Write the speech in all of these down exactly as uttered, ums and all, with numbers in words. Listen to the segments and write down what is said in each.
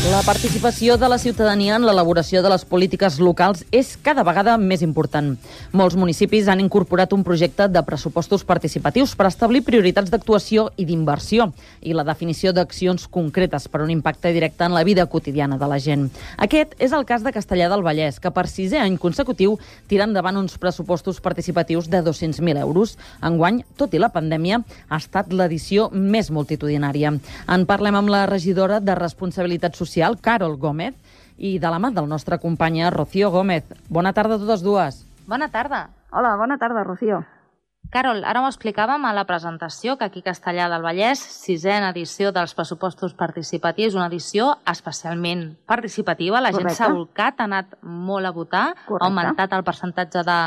La participació de la ciutadania en l'elaboració de les polítiques locals és cada vegada més important. Molts municipis han incorporat un projecte de pressupostos participatius per establir prioritats d'actuació i d'inversió i la definició d'accions concretes per un impacte directe en la vida quotidiana de la gent. Aquest és el cas de Castellar del Vallès, que per sisè any consecutiu tira endavant uns pressupostos participatius de dos-cents mil euros. Enguany, tot i la pandèmia, ha estat l'edició més multitudinària. En parlem amb la regidora de Responsabilitat Social, Carol Gómez, i de la mà del nostre companya Rocío Gómez. Bona tarda a totes dues. Bona tarda. Hola, bona tarda, Rocío. Carol, ara ho explicàvem a la presentació que aquí a Castellar del Vallès, sisena edició dels pressupostos participatius, una edició especialment participativa. La gent s'ha volcat, ha anat molt a votar, Correcte. Ha augmentat el percentatge de,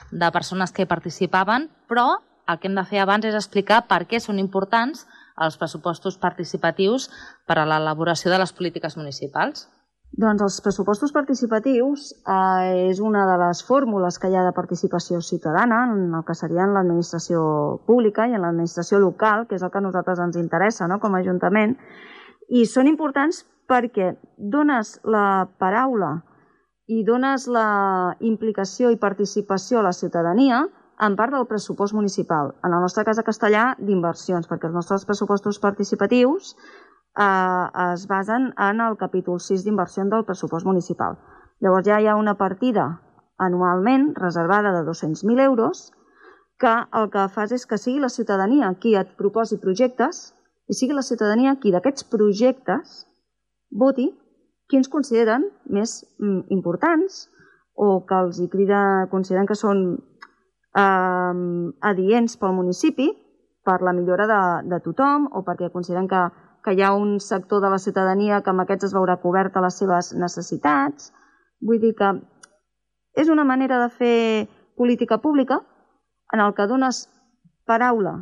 de persones que hi participaven, però el que hem de fer abans és explicar per què són importants els pressupostos participatius per a l'elaboració de les polítiques municipals. Doncs els pressupostos participatius eh, és una de les fórmules que hi ha de participació ciutadana en el que seria en l'administració pública i en l'administració local, que és el que a nosaltres ens interessa, no?, com a Ajuntament, i són importants perquè dones la paraula i dones la implicació i participació a la ciutadania en part del pressupost municipal. En el nostre cas a Castellar, d'inversions, perquè els nostres pressupostos participatius eh, es basen en el capítol sis d'inversió del pressupost municipal. Llavors ja hi ha una partida anualment reservada de dos-cents mil euros que el que fas és que sigui la ciutadania qui et proposi projectes i sigui la ciutadania qui d'aquests projectes voti quins consideren més mm, importants o que els hi crida, consideren que són Eh, adients pel municipi per la millora de, de tothom o perquè consideren que, que hi ha un sector de la ciutadania que amb aquests es veurà coberta les seves necessitats. Vull dir que és una manera de fer política pública en el que dones paraula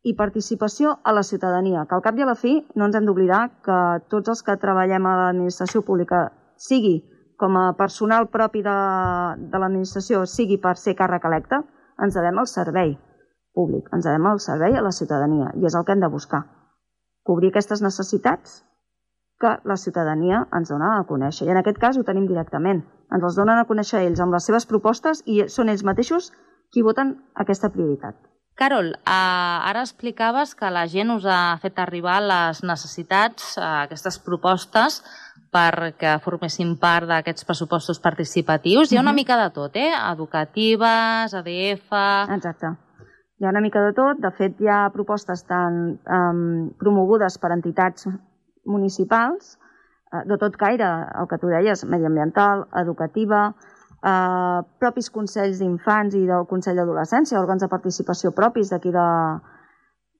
i participació a la ciutadania, que al cap i a la fi no ens hem d'oblidar que tots els que treballem a l'administració pública, sigui com a personal propi de, de l'administració, sigui per ser càrrec electe, ens devem al servei públic, ens devem al servei a la ciutadania, i és el que hem de buscar. Cobrir aquestes necessitats que la ciutadania ens dona a conèixer. I en aquest cas ho tenim directament. Ens els donen a conèixer ells amb les seves propostes i són ells mateixos qui voten aquesta prioritat. Carol, eh, ara explicaves que la gent us ha fet arribar les necessitats, eh, aquestes propostes, perquè formessin part d'aquests pressupostos participatius. Hi ha una mica de tot, eh? Educatives, A D F... Exacte. Hi ha una mica de tot. De fet, hi ha propostes tan um, promogudes per entitats municipals, uh, de tot caire, el que tu deies, mediambiental, educativa, uh, propis consells d'infants i del Consell d'Adolescència, òrgans de participació propis d'aquí de,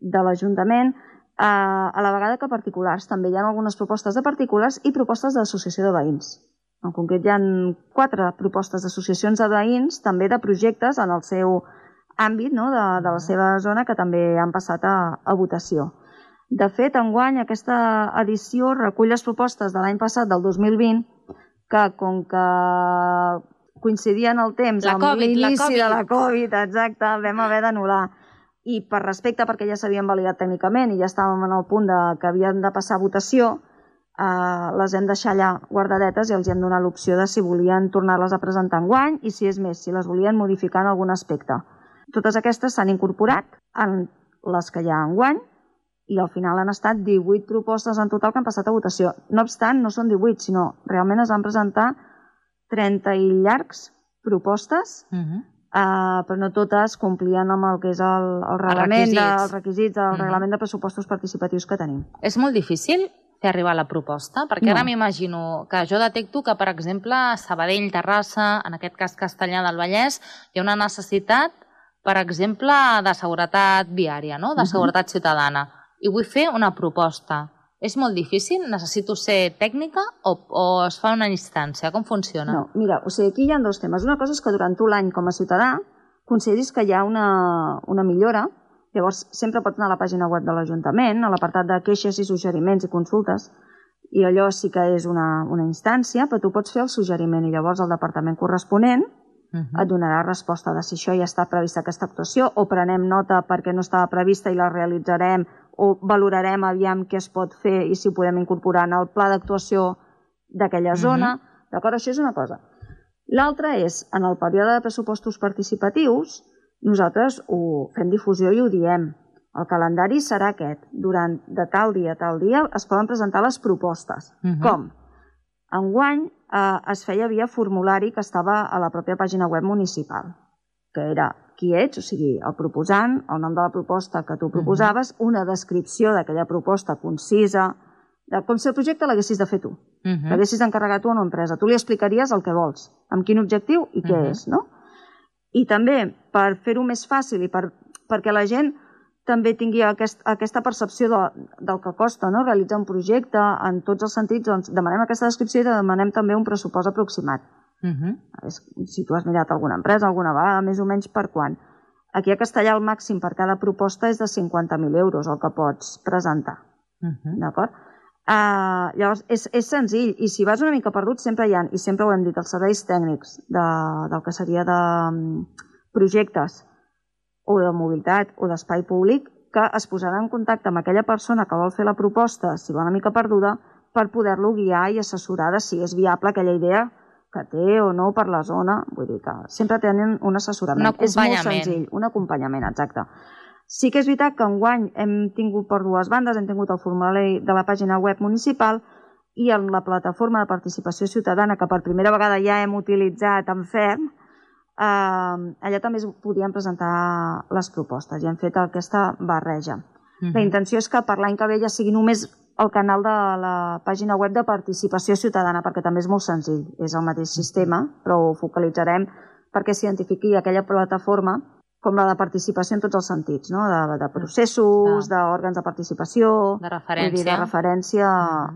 de l'Ajuntament, a la vegada que particulars. També hi ha algunes propostes de particulars i propostes d'associació de veïns. En concret, hi ha quatre propostes d'associacions de veïns, també de projectes en el seu àmbit, no?, de, de la seva zona, que també han passat a, a votació. De fet, enguany, aquesta edició recull les propostes de l'any passat, del dos mil vint, que com que coincidien el temps la amb COVID, l'inici la de la Covid, exacte, vam haver d'anul·lar. I per respecte, perquè ja s'havien validat tècnicament i ja estàvem en el punt de, que havien de passar a votació, eh, les hem deixat allà guardadetes i els hem donat l'opció de si volien tornar-les a presentar enguany i, si és més, si les volien modificar en algun aspecte. Totes aquestes s'han incorporat en les que hi ha enguany i al final han estat divuit propostes en total que han passat a votació. No obstant, no són divuit, sinó realment es van presentar trenta i llargs propostes, uh-huh. Uh, però no totes complien amb el que és el, el reglament, els requisits, dels requisits del mm. reglament de pressupostos participatius que tenim. És molt difícil fer arribar la proposta? Perquè no. Ara m'imagino que jo detecto que, per exemple, a Sabadell, Terrassa, en aquest cas Castellar del Vallès, hi ha una necessitat, per exemple, de seguretat viària, no?, de seguretat uh-huh. ciutadana, i vull fer una proposta. És molt difícil? Necessito ser tècnica o, o es fa una instància? Com funciona? No, mira, o sigui, aquí hi ha dos temes. Una cosa és que durant tu l'any com a ciutadà consideris que hi ha una, una millora. Llavors, sempre pots anar a la pàgina web de l'Ajuntament, a l'apartat de queixes i suggeriments i consultes, i allò sí que és una, una instància, però tu pots fer el suggeriment i llavors el departament corresponent uh-huh. et donarà resposta de si això ja està prevista aquesta actuació o prenem nota perquè no estava prevista i la realitzarem o valorarem aviam què es pot fer i si ho podem incorporar en el pla d'actuació d'aquella zona. D'acord? Això és una cosa. L'altra és, en el període de pressupostos participatius, nosaltres ho fem difusió i ho diem. El calendari serà aquest. Durant de tal dia a tal dia es poden presentar les propostes. Com? Enguany eh, es feia via formulari que estava a la pròpia pàgina web municipal, que era qui ets, o sigui, el proposant, el nom de la proposta que tu proposaves, una descripció d'aquella proposta concisa, de com si el projecte l'haguessis de fer tu, l'haguessis d'encarregar tu a una empresa. Tu li explicaries el que vols, amb quin objectiu i què és, no? I també, per fer-ho més fàcil i per, perquè la gent també tingui aquest, aquesta percepció de, del que costa, no? Realitzar un projecte en tots els sentits, doncs demanem aquesta descripció i demanem també un pressupost aproximat. Uh-huh. Si tu has mirat alguna empresa, alguna vegada, més o menys per quan. Aquí a Castellà el màxim per cada proposta és de cinquanta mil euros el que pots presentar. Uh-huh. D'acord? Uh, llavors, és, és senzill, i si vas una mica perdut sempre hi ha, i sempre ho hem dit, els serveis tècnics de, del que seria de um, projectes o de mobilitat o d'espai públic, que es posarà en contacte amb aquella persona que vol fer la proposta, si va una mica perduda, per poder-lo guiar i assessorar de si és viable aquella idea que té o no per la zona. Vull dir que sempre tenen un assessorament. Un acompanyament. És molt senzill, un acompanyament, exacte. Sí que és veritat que enguany hem tingut per dues bandes, hem tingut el formulari de la pàgina web municipal i en la plataforma de participació ciutadana, que per primera vegada ja hem utilitzat en ferm, eh, allà també es podien presentar les propostes i hem fet aquesta barreja. Uh-huh. La intenció és que per l'any que ve ja sigui només el canal de la pàgina web de participació ciutadana, perquè també és molt senzill, és el mateix sistema, però ho focalitzarem perquè s'identifiqui aquella plataforma com la de participació en tots els sentits, no? de, de processos, d'òrgans de participació, de referència, dir, de referència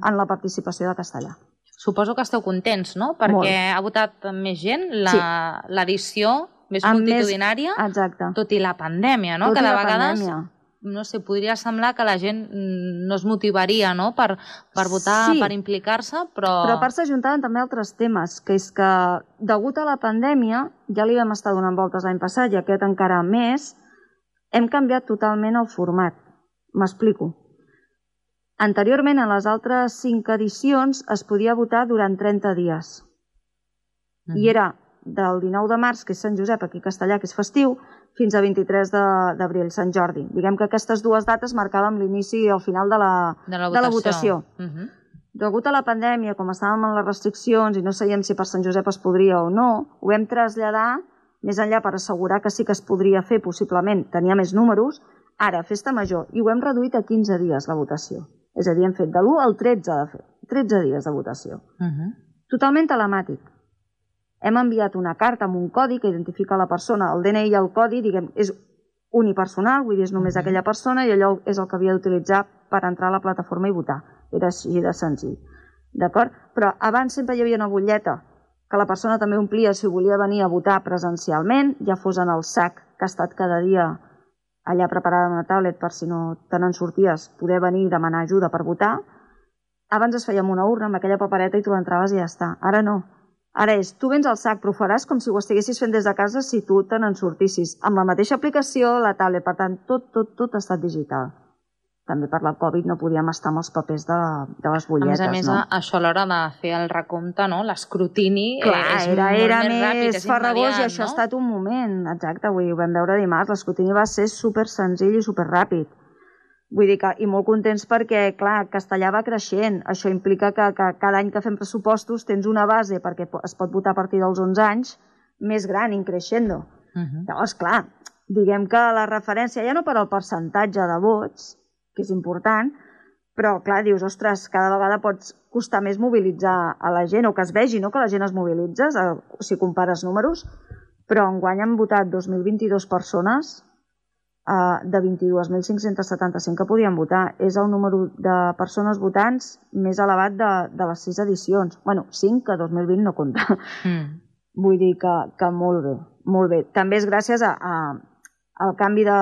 en la participació de castellà. Suposo que esteu contents, no? Perquè molt. Ha votat més gent l'edició sí. més multitudinària, més... tot i la pandèmia, no? Tot que de i la vegades, pandèmia. No sé, podria semblar que la gent no es motivaria, no? per, per votar, sí. per implicar-se, però... Però a part s'ajuntaven també altres temes, que és que, degut a la pandèmia, ja li vam estar donant voltes l'any passat, i aquest encara més, hem canviat totalment el format. M'explico. Anteriorment, en les altres cinc edicions, es podia votar durant trenta dies. Mm. I era del dinou de març, que és Sant Josep, aquí a Castellà, que és festiu, fins a vint-i-tres d'abril, Sant Jordi. Diguem que aquestes dues dates marcàvem l'inici i el final de la, de la votació. De la votació. Uh-huh. Degut a la pandèmia, com estàvem en les restriccions i no sabíem si per Sant Josep es podria o no, ho vam traslladar més enllà per assegurar que sí que es podria fer, possiblement, tenia més números, ara, festa major, i ho hem reduït a quinze dies la votació. És a dir, hem fet de l'u al tretze de fer, tretze dies de votació. Uh-huh. Totalment telemàtic. Hem enviat una carta amb un codi que identifica la persona, el D N I i el codi, diguem, és unipersonal, vull dir, és només aquella persona i allò és el que havia d'utilitzar per entrar a la plataforma i votar. Era així de senzill. D'acord? Però abans sempre hi havia una butlleta que la persona també omplia si volia venir a votar presencialment, ja fos en el sac que ha estat cada dia allà preparada en una tablet per si no te n'en sorties, poder venir i demanar ajuda per votar. Abans es feia amb una urna, amb aquella papereta, i tu entraves i ja està. Ara no. Ara és, tu vens al sac, però ho faràs com si ho estiguessis fent des de casa si tu te n'en sortissis. Amb la mateixa aplicació, la tablet, per tant, tot, tot, tot ha estat digital. També per la Covid no podíem estar amb els papers de, de les butlletes, no? A més a més, no? Això a l'hora de fer el recompte, no? L'escrutini és era, molt era més ràpid, és farragós, immediat, i això no? ha estat un moment, exacte, avui ho vam veure dimarts, l'escrutini va ser super senzill i super ràpid. Vull dir que, i molt contents perquè, clar, Castellà va creixent. Això implica que, que cada any que fem pressupostos tens una base, perquè es pot votar a partir dels onze anys, més gran, increixendo. Uh-huh. Llavors, clar, diguem que la referència, ja no per al percentatge de vots, que és important, però, clar, dius, ostres, cada vegada pots costar més mobilitzar a la gent, o que es vegi, no?, que la gent es mobilitza, si compares números, però enguany han votat dos mil vint-i-dues persones, de vint-i-dos mil cinc-cents setanta-cinc que podien votar. És el número de persones votants més elevat de, de les sis edicions. Bueno, cinc, que dos mil vint no compta. Mm. Vull dir que, que molt bé, molt bé. També és gràcies a, a, al canvi de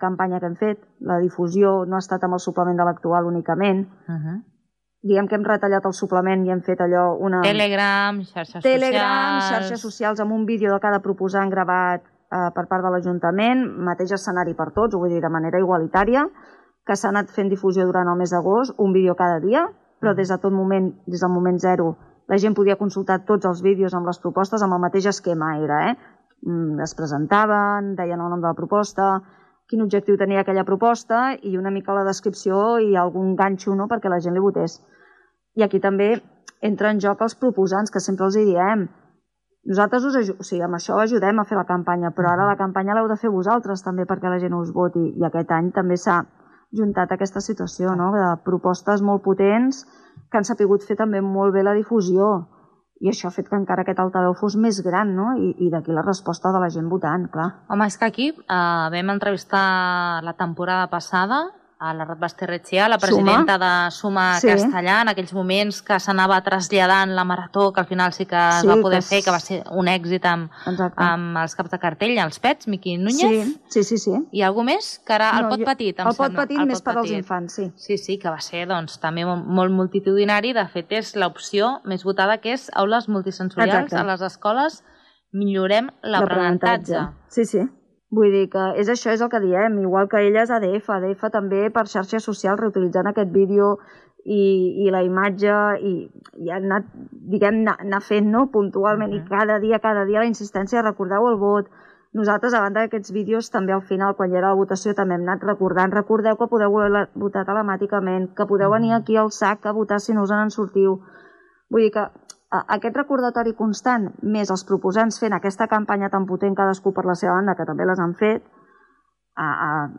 campanya que hem fet. La difusió no ha estat amb el suplement de l'actual únicament. Uh-huh. Diguem que hem retallat el suplement i hem fet allò una... Telegram, xarxes Telegram, socials... xarxes socials amb un vídeo de cada proposant gravat eh, per part de l'Ajuntament, mateix escenari per tots, ho vull dir de manera igualitària, que s'ha anat fent difusió durant el mes d'agost, un vídeo cada dia, però des de tot moment, des del moment zero, la gent podia consultar tots els vídeos amb les propostes, amb el mateix esquema era, eh? Es presentaven, deien el nom de la proposta, quin objectiu tenia aquella proposta i una mica la descripció i algun ganxo, no?, perquè la gent li votés. I aquí també entra en joc els proposants, que sempre els hi diem. Nosaltres us ajudem, o sigui, amb això ajudem a fer la campanya, però ara la campanya l'heu de fer vosaltres també perquè la gent us voti. I aquest any també s'ha juntat aquesta situació, no?, de propostes molt potents que han sapigut fer també molt bé la difusió. I això ha fet que encara aquest altaveu fos més gran, no? I, i d'aquí la resposta de la gent votant, clar. Home, és que aquí eh, vam entrevistar la temporada passada a la Rat Basterretxea, la presidenta Suma. de Suma sí. Castellà, en aquells moments que s'anava traslladant la marató, que al final sí que es sí, va poder que fer, que va ser un èxit amb, amb els caps de cartell, els pets, Miqui Núñez. Sí, sí, sí. sí. I algú més? Que era el no, pot petit, em el sembla. El pot petit el més pot per als infants, sí. Sí, sí, que va ser doncs, també molt multitudinari. De fet, és l'opció més votada, que és aules multisensorials Exacte. a les escoles. Millorem l'aprenentatge. Sí, sí. Vull dir que és això, és el que diem, igual que elles A D F, A D F també per xarxes socials reutilitzant aquest vídeo i, i la imatge i, i ha anat, diguem, anar, anar fent, no?, puntualment uh -huh. i cada dia, cada dia la insistència, recordeu el vot. Nosaltres, a banda d'aquests vídeos, també al final, quan hi era la votació, també hem anat recordant, recordeu que podeu votar telemàticament, que podeu venir aquí al S A C a votar si no us en sortiu. Vull dir que aquest recordatori constant, més els proposants fent aquesta campanya tan potent cadascú per la seva banda, que també les han fet, ha, ha,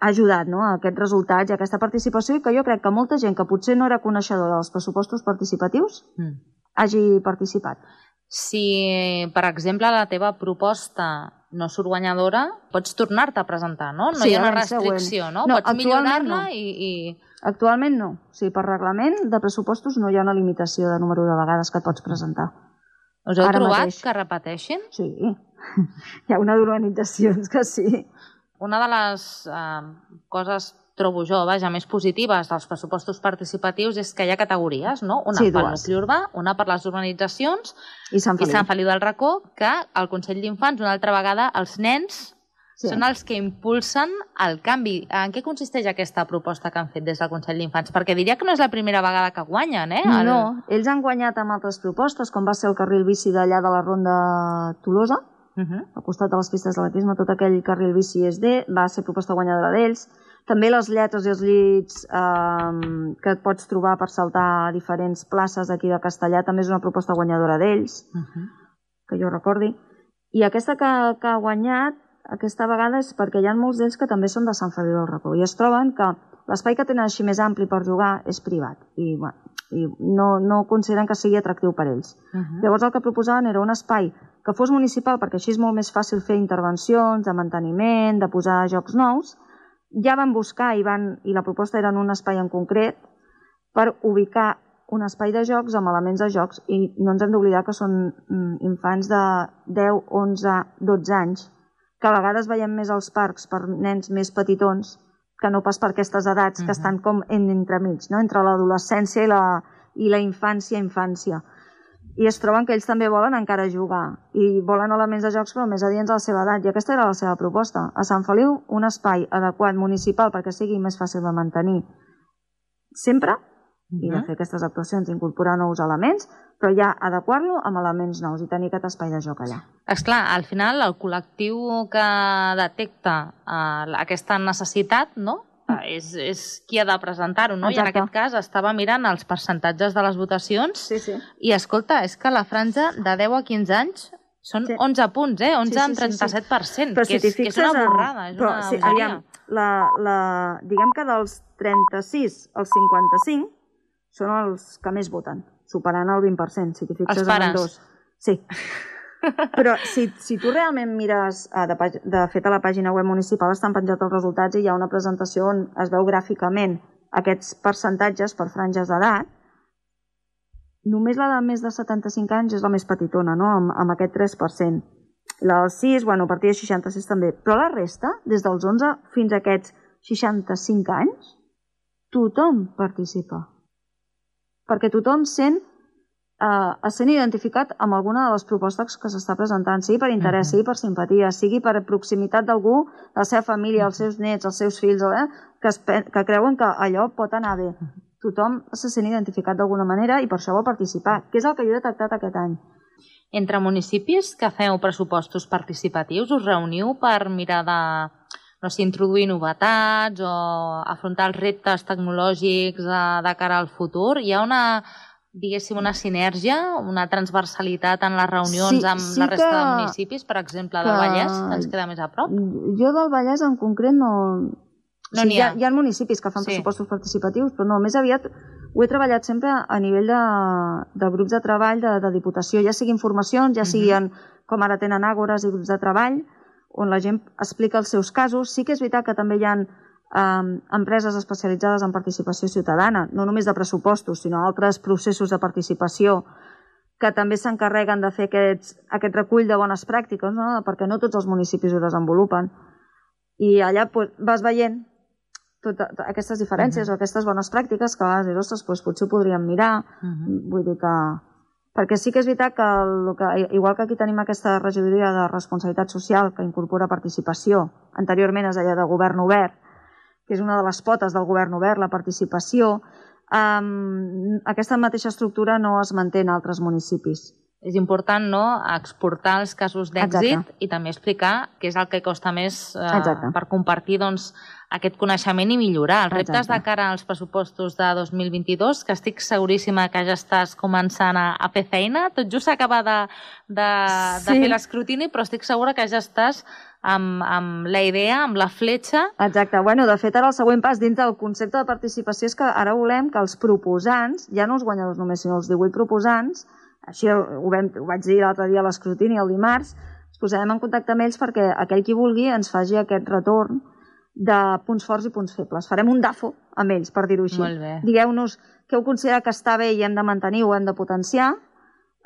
ha ajudat, no?, a aquests resultats i a aquesta participació, i que jo crec que molta gent que potser no era coneixedora dels pressupostos participatius mm. hagi participat. Si, per exemple, la teva proposta no surt guanyadora, pots tornar-te a presentar, no? No sí, hi ha una restricció, no? no? Pots millorar-la no. i, i... Actualment no. O sigui, per reglament de pressupostos no hi ha una limitació de número de vegades que et pots presentar. Us heu Ara trobat mateix. que repeteixin? Sí. Hi ha una d'organitzacions que sí. Una de les eh, coses, trobo jo, vaja, més positives dels pressupostos participatius és que hi ha categories, no? Una sí, pel nucli urbà, una per les urbanitzacions i Sant Feliu, i Sant Feliu del Racó, que el Consell d'Infants, una altra vegada, els nens sí. són els que impulsen el canvi. En què consisteix aquesta proposta que han fet des del Consell d'Infants? Perquè diria que no és la primera vegada que guanyen, eh? El... No, ells han guanyat amb altres propostes, com va ser el carril bici d'allà de la Ronda Tolosa, uh -huh. al costat de les pistes d'atletisme, tot aquell carril bici és D, va ser proposta guanyadora d'ells. També les lletres i els llits eh, que et pots trobar per saltar a diferents places d'aquí de Castellà també és una proposta guanyadora d'ells, uh -huh. que jo recordi. I aquesta que, que ha guanyat aquesta vegada és perquè hi ha molts d'ells que també són de Sant Feliu del Racó i es troben que l'espai que tenen així més ampli per jugar és privat i, bueno, i no, no consideren que sigui atractiu per ells. Uh -huh. Llavors el que proposaven era un espai que fos municipal perquè així és molt més fàcil fer intervencions de manteniment, de posar jocs nous. Ja van buscar i, van, i la proposta era en un espai en concret per ubicar un espai de jocs amb elements de jocs i no ens hem d'oblidar que són infants de deu, onze, dotze anys que a vegades veiem més als parcs per nens més petitons que no pas per aquestes edats uh-huh. que estan com en, entremig, no? Entre l'adolescència i la, i la infància, infància. I es troben que ells també volen encara jugar i volen elements de jocs però més adients a la seva edat i aquesta era la seva proposta. A Sant Feliu un espai adequat municipal perquè sigui més fàcil de mantenir sempre uh-huh. i de fer aquestes actuacions, incorporar nous elements, però ja adequar-lo amb elements nous i tenir aquest espai de joc allà. Esclar, al final el col·lectiu que detecta uh, aquesta necessitat, no?, uh, és, és qui ha de presentar-ho, no? Exacte. I en aquest cas estava mirant els percentatges de les votacions sí, sí. i escolta, és que la franja de deu a quinze anys són sí. onze punts, eh? onze en trenta-set per cent, sí, sí, sí. que, és, si que és una borrada, és però, una sí, aviam, la, la, diguem que dels trenta-sis als cinquanta-cinc són els que més voten, superant el vint per cent, si t'hi fixes en els dos. Sí. Però si, si tu realment mires, de, de fet a la pàgina web municipal estan penjats els resultats i hi ha una presentació on es veu gràficament aquests percentatges per franges d'edat, només la de més de setanta-cinc anys és la més petitona, no? amb, amb aquest tres per cent. La dels sis, bueno, a partir de seixanta-sis també, però la resta, des dels onze fins a aquests seixanta-cinc anys, tothom participa. Perquè tothom sent, eh, es sent identificat amb alguna de les propostes que s'està presentant, sigui per interès, uh-huh. sigui per simpatia, sigui per proximitat d'algú, de la seva família, els seus nets, els seus fills, eh, que, es, que creuen que allò pot anar bé. tothom se sent identificat d'alguna manera i per això vol participar, que és el que jo he detectat aquest any. Entre municipis que feu pressupostos participatius, us reuniu per mirar de, no sé, introduir novetats o afrontar els reptes tecnològics de, de cara al futur? Hi ha una, diguéssim, una sinergia, una transversalitat en les reunions sí, amb sí la resta que, de municipis, per exemple, del Vallès, que ens queda més a prop? Jo del Vallès en concret no... No o sigui, hi, ha. hi ha municipis que fan sí. pressupostos participatius, però no, més aviat ho he treballat sempre a nivell de, de grups de treball de, de Diputació, ja sigui informacions, ja siguin, uh-huh. com ara tenen àgores i grups de treball, on la gent explica els seus casos. Sí que és veritat que també hi ha um, empreses especialitzades en participació ciutadana, no només de pressupostos, sinó altres processos de participació que també s'encarreguen de fer aquests, aquest recull de bones pràctiques, no? Perquè no tots els municipis ho desenvolupen. I allà pues, vas veient totes aquestes diferències uh-huh. o aquestes bones pràctiques que a vegades, ostres, doncs potser ho podríem mirar. Uh-huh. Vull dir que... Perquè sí que és veritat que, el, que, igual que aquí tenim aquesta regidoria de responsabilitat social que incorpora participació, anteriorment es deia de govern obert, que és una de les potes del govern obert, la participació, um, aquesta mateixa estructura no es manté en altres municipis. És important, no?, exportar els casos d'èxit i també explicar què és el que costa més eh, per compartir, doncs, aquest coneixement i millorar. Els reptes Exacte. de cara als pressupostos de dos mil vint-i-dos, que estic seguríssima que ja estàs començant a, a fer feina, tot just s'acaba de, de, sí. de fer l'escrutini, però estic segura que ja estàs amb, amb la idea, amb la fletxa. Exacte. Bueno, de fet, ara el següent pas dins del concepte de participació és que ara volem que els proposants, ja no els guanyadors només, sinó els divuit proposants, així ho, vam, ho vaig dir l'altre dia a l'escrutini, el dimarts, ens posarem en contacte amb ells perquè aquell qui vulgui ens faci aquest retorn de punts forts i punts febles. Farem un D A F O amb ells, per dir-ho així. Molt bé. Digueu-nos què heu considerat que està bé i hem de mantenir o hem de potenciar,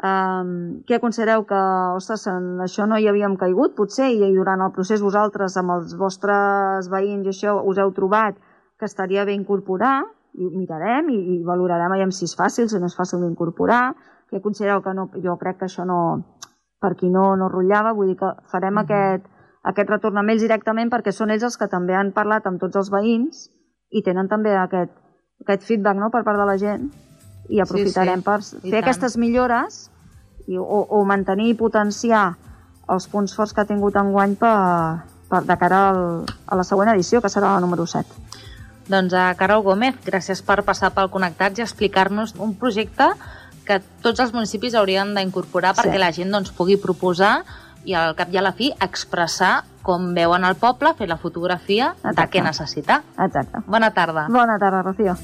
um, què considereu que, ostres, en això no hi havíem caigut, potser, i durant el procés vosaltres, amb els vostres veïns i això, us heu trobat que estaria bé incorporar, i mirarem i, i valorarem aviam si és fàcil, si no és fàcil d'incorporar, que considereu que no, jo crec que això no, per qui no, no rotllava, vull dir que farem mm-hmm. aquest, aquest retorn amb ells directament perquè són ells els que també han parlat amb tots els veïns i tenen també aquest, aquest feedback, no?, per part de la gent i aprofitarem sí, sí. per fer aquestes millores i, o, o mantenir i potenciar els punts forts que ha tingut enguany per, per, de cara al, a la següent edició, que serà la número set. Doncs a Carol Gómez, gràcies per passar pel Connectats i explicar-nos un projecte que tots els municipis haurien d'incorporar perquè sí. la gent doncs, pugui proposar i al cap i a la fi expressar com veuen el poble, fer la fotografia Exacte. de què necessita. Exacte. Bona tarda. Bona tarda, Rocío.